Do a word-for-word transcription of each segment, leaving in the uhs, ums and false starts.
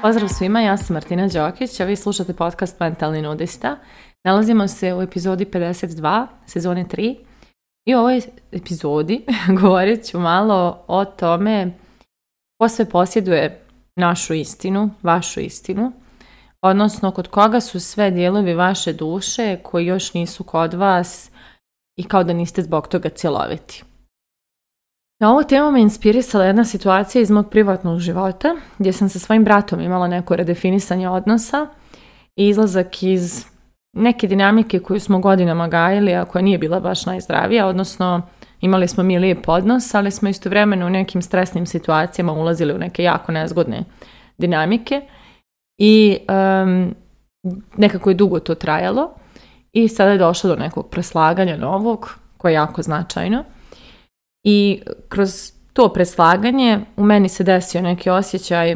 Pozdrav svima, ja sam Martina Đokić, a vi slušate podcast Mentalni nudista. Nalazimo se u epizodi pedeset dva, sezone tri. I u ovoj epizodi govorit ću malo o tome ko sve posjeduje našu istinu, vašu istinu, odnosno kod koga su sve dijelovi vaše duše koji još nisu kod vas i kao da niste zbog toga cjeloviti. Na ovu temu me inspirisala jedna situacija iz mog privatnog života gdje sam sa svojim bratom imala neko redefinisanje odnosa i izlazak iz neke dinamike koju smo godinama gajili, a koja nije bila baš najzdravija, odnosno imali smo mi lijep odnos, ali smo istovremeno u nekim stresnim situacijama ulazili u neke jako nezgodne dinamike i um, nekako je dugo to trajalo i sada je došlo do nekog preslaganja novog koje je jako značajno. I kroz to preslaganje u meni se desio neki osjećaj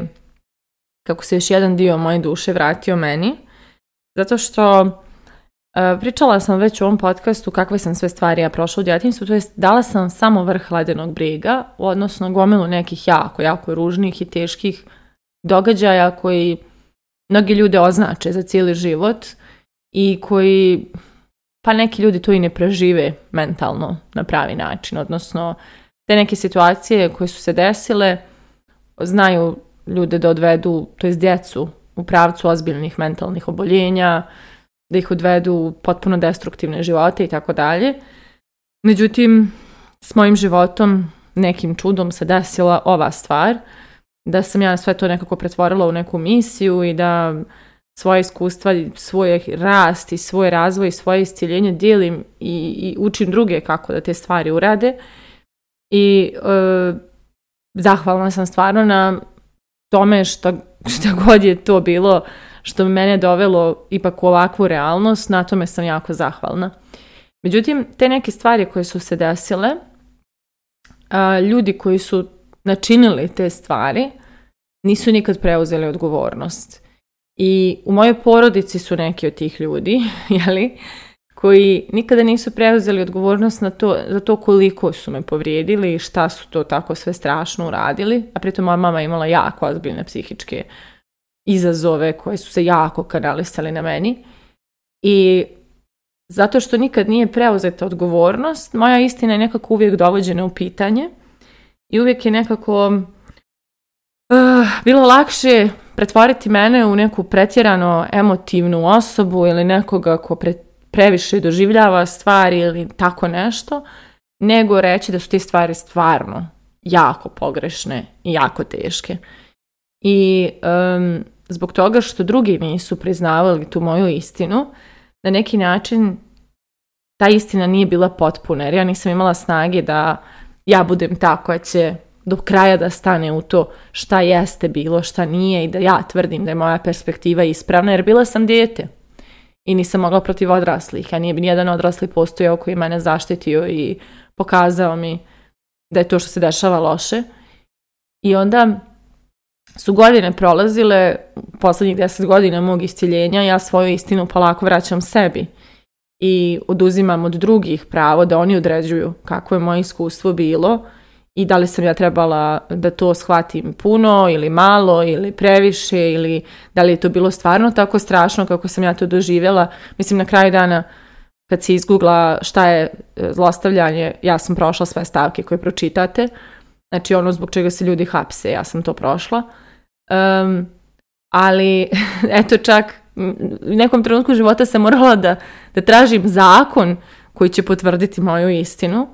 kako se još jedan dio moje duše vratio meni, zato što uh, pričala sam već u ovom podcastu kakve sam sve stvari ja prošla u djetinjstvu, to jest dala sam samo vrh ledenog brijega, odnosno gomilu nekih jako, jako ružnih i teških događaja koji mnogi ljude označe za cijeli život i koji, pa neki ljudi to i ne prežive mentalno na pravi način, odnosno te neke situacije koje su se desile znaju ljude da odvedu, to jest djecu, u pravcu ozbiljnih mentalnih oboljenja, da ih odvedu u potpuno destruktivne živote i tako dalje. Međutim, s mojim životom nekim čudom se desila ova stvar, da sam ja sve to nekako pretvorila u neku misiju i da svoje iskustva, svoj rast i svoj razvoj i svoje iscjeljenje dijelim i, i učim druge kako da te stvari urade. I e, zahvalna sam stvarno na tome što, što god je to bilo što me mene dovelo ipak u ovakvu realnost, na tome sam jako zahvalna. Međutim, te neke stvari koje su se desile, a, ljudi koji su načinili te stvari nisu nikad preuzeli odgovornost. I u mojoj porodici su neki od tih ljudi, jeli, koji nikada nisu preuzeli odgovornost na to, za to koliko su me povrijedili i šta su to tako sve strašno uradili. A pritom moja mama imala jako ozbiljne psihičke izazove koje su se jako kanalisali na meni. I zato što nikad nije preuzeta odgovornost, moja istina je nekako uvijek dovođena u pitanje i uvijek je nekako uh, bilo lakše pretvoriti mene u neku pretjerano emotivnu osobu ili nekoga ko pre, previše doživljava stvari ili tako nešto, nego reći da su te stvari stvarno jako pogrešne i jako teške. I um, zbog toga što drugi nisu priznavali tu moju istinu, na neki način ta istina nije bila potpuna, jer ja nisam imala snage da ja budem ta koja će do kraja da stane u to šta jeste bilo, šta nije i da ja tvrdim da je moja perspektiva ispravna, jer bila sam dijete i nisam mogla protiv odraslih, a nije bi nijedan odrasli postojao koji mene zaštitio i pokazao mi da je to što se dešava loše. I onda su godine prolazile, posljednjih deset godina mog iscjeljenja, ja svoju istinu polako vraćam sebi i oduzimam od drugih pravo da oni određuju kako je moje iskustvo bilo i da li sam ja trebala da to shvatim puno ili malo ili previše ili da li je to bilo stvarno tako strašno kako sam ja to doživjela. Mislim, na kraju dana kad si izgoogla šta je zlostavljanje, ja sam prošla sve stavke koje pročitate. Znači ono zbog čega se ljudi hapse, ja sam to prošla. Um, ali eto čak u nekom trenutku života sam morala da, da tražim zakon koji će potvrditi moju istinu.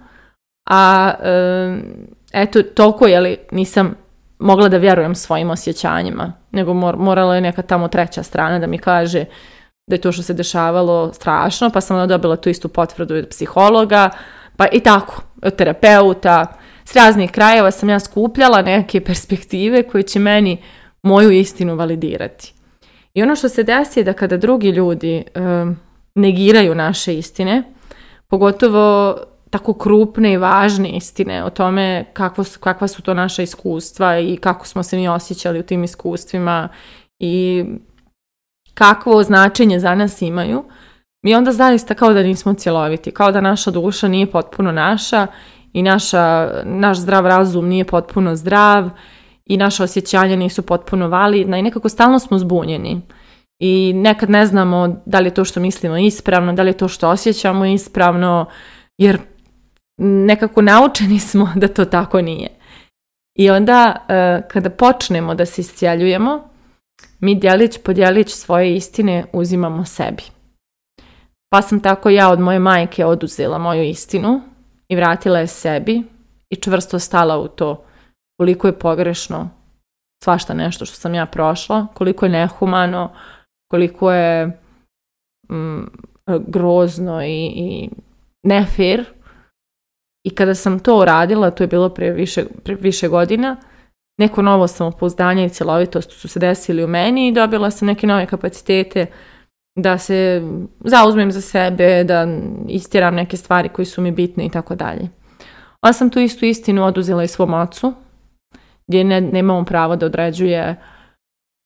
A um, eto toliko jeli, nisam mogla da vjerujem svojim osjećanjima, nego mor, morala je neka tamo treća strana da mi kaže da je to što se dešavalo strašno, pa sam onda dobila tu istu potvrdu od psihologa, pa i tako, od terapeuta. S raznih krajeva sam ja skupljala neke perspektive koje će meni moju istinu validirati. I ono što se desi je da kada drugi ljudi um, negiraju naše istine, pogotovo tako krupne i važne istine o tome kakvo su, kakva su to naša iskustva i kako smo se mi osjećali u tim iskustvima i kakvo značenje za nas imaju, mi onda zaista kao da nismo cjeloviti, kao da naša duša nije potpuno naša i naša, naš zdrav razum nije potpuno zdrav i naše osjećanja nisu potpuno validna i nekako stalno smo zbunjeni. I nekad ne znamo da li je to što mislimo ispravno, da li je to što osjećamo ispravno, jer nekako naučeni smo da to tako nije. I onda kada počnemo da se iscijeljujemo, mi djelić po djelić svoje istine uzimamo sebi. Pa sam tako ja od moje majke oduzela moju istinu i vratila je sebi i čvrsto stala u to koliko je pogrešno svašta nešto što sam ja prošla, koliko je nehumano, koliko je mm, grozno i, i nefer. I kada sam to uradila, to je bilo pre više, pre više godina, neko novo samopouzdanje i cjelovitost su se desili u meni i dobila sam neke nove kapacitete da se zauzmem za sebe, da istjeram neke stvari koje su mi bitne i tako dalje. Onda sam tu istu istinu oduzela i svom ocu, gdje ne, nemamo pravo da određuje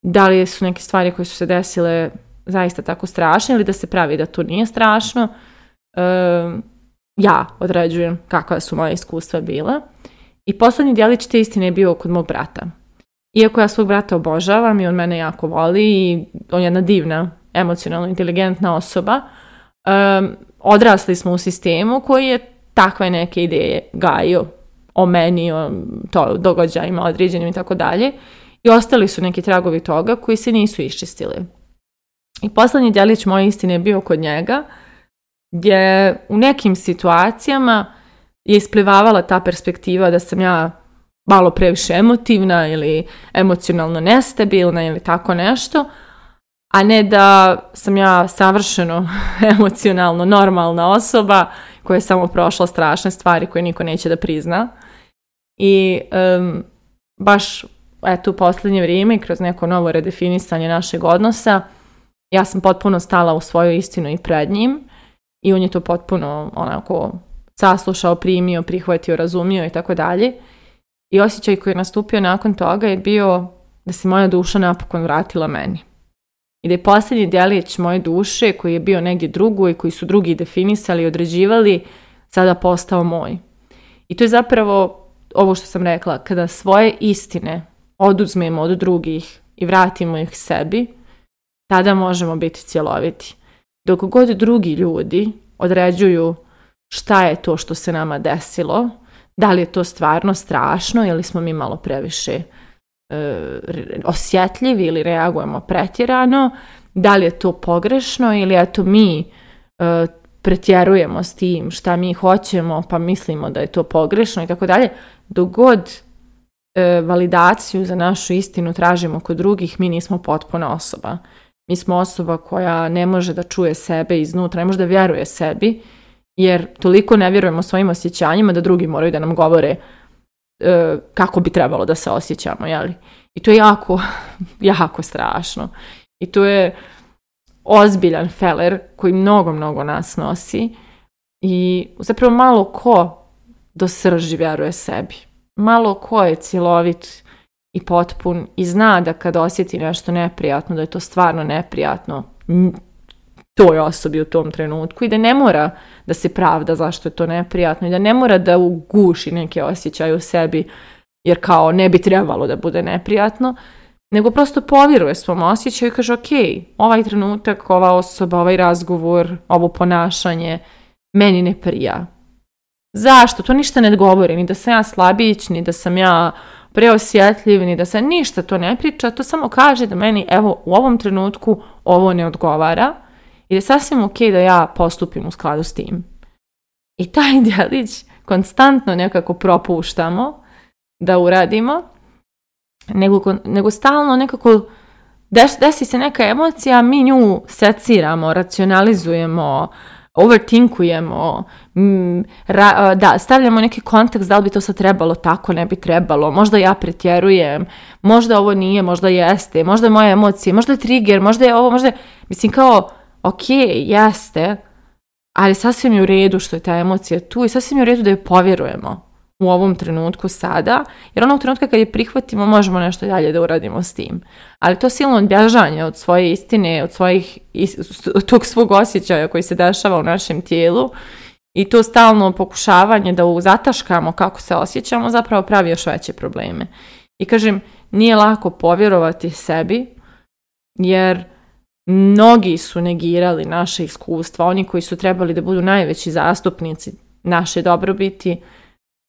da li su neke stvari koje su se desile zaista tako strašne ili da se pravi da to nije strašno. E, ja određujem kakva su moja iskustva bila. I posljednji djelić te istine je bio kod mog brata. Iako ja svog brata obožavam i on mene jako voli i on je jedna divna, emocionalno inteligentna osoba, um, odrasli smo u sistemu koji je takve neke ideje gajio o meni, o to, događajima određenim i tako dalje. I ostali su neki tragovi toga koji se nisu iščistili. I posljednji djelić moje istine je bio kod njega, gdje u nekim situacijama je isplivavala ta perspektiva da sam ja malo previše emotivna ili emocionalno nestabilna ili tako nešto, a ne da sam ja savršeno emocionalno normalna osoba koja je samo prošla strašne stvari koje niko neće da prizna. I um, baš eto, u posljednje vrijeme, kroz neko novo redefinisanje našeg odnosa, ja sam potpuno stala u svoju istinu i pred njim i on je to potpuno onako saslušao, primio, prihvatio, razumio i tako dalje. I osjećaj koji je nastupio nakon toga je bio da se moja duša napokon vratila meni. I da je posljednji djelić moje duše koji je bio negdje drugo i koji su drugi definisali i određivali sada postao moj. I to je zapravo ovo što sam rekla, kada svoje istine oduzmemo od drugih i vratimo ih sebi, tada možemo biti cjeloviti. Dok god drugi ljudi određuju šta je to što se nama desilo, da li je to stvarno strašno ili smo mi malo previše e, osjetljivi ili reagujemo pretjerano, da li je to pogrešno ili eto mi e, pretjerujemo s tim šta mi hoćemo pa mislimo da je to pogrešno i tako dalje. Dok god e, validaciju za našu istinu tražimo kod drugih, mi nismo potpuna osoba. Mi smo osoba koja ne može da čuje sebe iznutra, ne može da vjeruje sebi, jer toliko ne vjerujemo svojim osjećanjima da drugi moraju da nam govore e, kako bi trebalo da se osjećamo, jeli? I to je jako, jako strašno. I to je ozbiljan feler koji mnogo, mnogo nas nosi i zapravo malo ko do srži vjeruje sebi. Malo ko je cjelovit i potpun i zna da kad osjeti nešto neprijatno, da je to stvarno neprijatno toj osobi u tom trenutku i da ne mora da se pravda zašto je to neprijatno i da ne mora da uguši neke osjećaje u sebi jer kao ne bi trebalo da bude neprijatno, nego prosto povjeruje svom osjećaju i kaže ok, ovaj trenutak, ova osoba, ovaj razgovor, ovo ponašanje meni ne prija. Zašto? To ništa ne govori, ni da sam ja slabić, ni da sam ja preosjetljiv, ni da se ništa to ne priča, to samo kaže da meni evo u ovom trenutku ovo ne odgovara i da je sasvim ok da ja postupim u skladu s tim. I taj djelić konstantno nekako propuštamo da uradimo, nego, nego stalno nekako des, desi se neka emocija, mi nju seciramo, racionalizujemo, overthinkujemo, m, ra, da, stavljamo neki kontekst da li bi to sad trebalo tako, ne bi trebalo, možda ja pretjerujem, možda ovo nije, možda jeste, možda je moje emocije, možda je trigger, možda je ovo, možda je, mislim kao, ok, jeste, ali sasvim je u redu što je ta emocija tu i sasvim je u redu da je povjerujemo. u ovom trenutku sada, jer onog trenutka kad je prihvatimo možemo nešto dalje da uradimo s tim. Ali to silno odbježanje od svoje istine, od svojih, od tog svog osjećaja koji se dešava u našem tijelu i to stalno pokušavanje da zataškamo kako se osjećamo zapravo pravi još veće probleme. I kažem, nije lako povjerovati sebi, jer mnogi su negirali naše iskustva, oni koji su trebali da budu najveći zastupnici naše dobrobiti,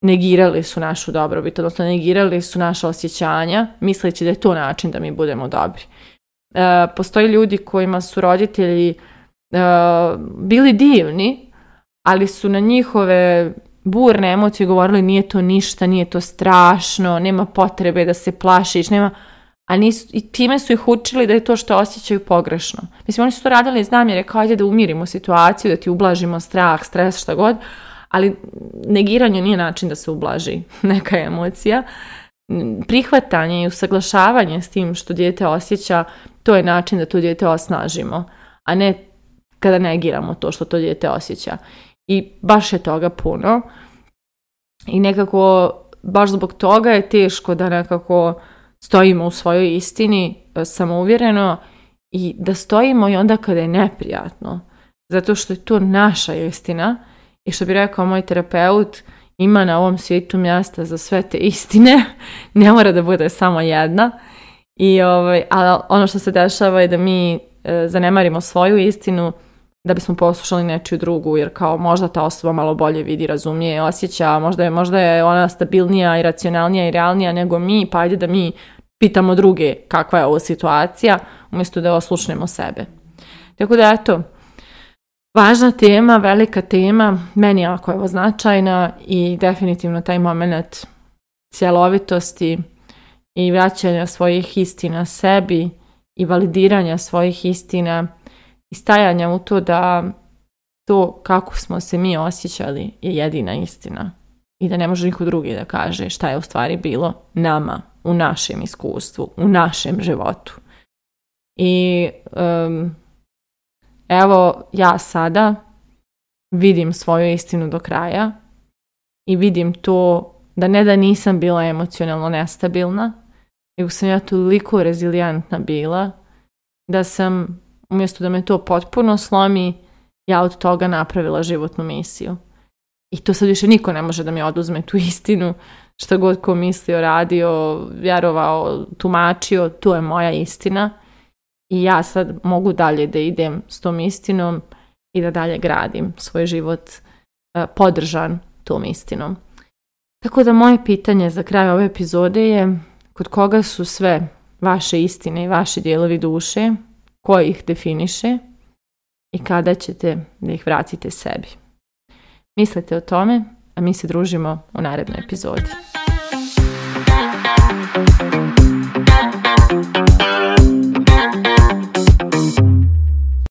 negirali su našu dobrobit, odnosno negirali su naša osjećanja, misleći da je to način da mi budemo dobri. E, postoji ljudi kojima su roditelji e, bili divni, ali su na njihove burne emocije govorili nije to ništa, nije to strašno, nema potrebe da se plašiš, nema... A nisu, i time su ih učili da je to što osjećaju pogrešno. Mislim, oni su to radili iz namjere kao ajde da umirimo situaciju, da ti ublažimo strah, stres, šta god, ali negiranje nije način da se ublaži neka emocija. Prihvatanje i usaglašavanje s tim što dijete osjeća, to je način da to dijete osnažimo, a ne kada negiramo to što to dijete osjeća. I baš je toga puno. I nekako, baš zbog toga je teško da nekako stojimo u svojoj istini samouvjereno i da stojimo i onda kada je neprijatno. Zato što je to naša istina i što bi rekao moj terapeut, ima na ovom svijetu mjesta za sve te istine, ne mora da bude samo jedna. I ovaj, ali ono što se dešava je da mi e, zanemarimo svoju istinu da bismo poslušali nečiju drugu, jer kao možda ta osoba malo bolje vidi, razumije, osjeća, možda je, možda je ona stabilnija i racionalnija i realnija nego mi, pa ajde da mi pitamo druge kakva je ovo situacija, umjesto da oslušnemo sebe. Tako da eto, važna tema, velika tema, meni jako je ovo značajna i definitivno taj moment cjelovitosti i vraćanja svojih istina sebi i validiranja svojih istina i stajanja u to da to kako smo se mi osjećali je jedina istina i da ne može niko drugi da kaže šta je u stvari bilo nama, u našem iskustvu, u našem životu. I um, evo ja sada vidim svoju istinu do kraja i vidim to da ne da nisam bila emocionalno nestabilna, nego sam ja toliko rezilijentna bila da sam, umjesto da me to potpuno slomi, ja od toga napravila životnu misiju. I to sad više niko ne može da mi oduzme tu istinu, što god ko mislio, radio, vjerovao, tumačio, to je moja istina. I ja sad mogu dalje da idem s tom istinom i da dalje gradim svoj život uh, podržan tom istinom. Tako da moje pitanje za kraj ove epizode je kod koga su sve vaše istine i vaši dijelovi duše, ko ih definiše i kada ćete da ih vratite sebi. Mislite o tome, a mi se družimo u narednoj epizodi.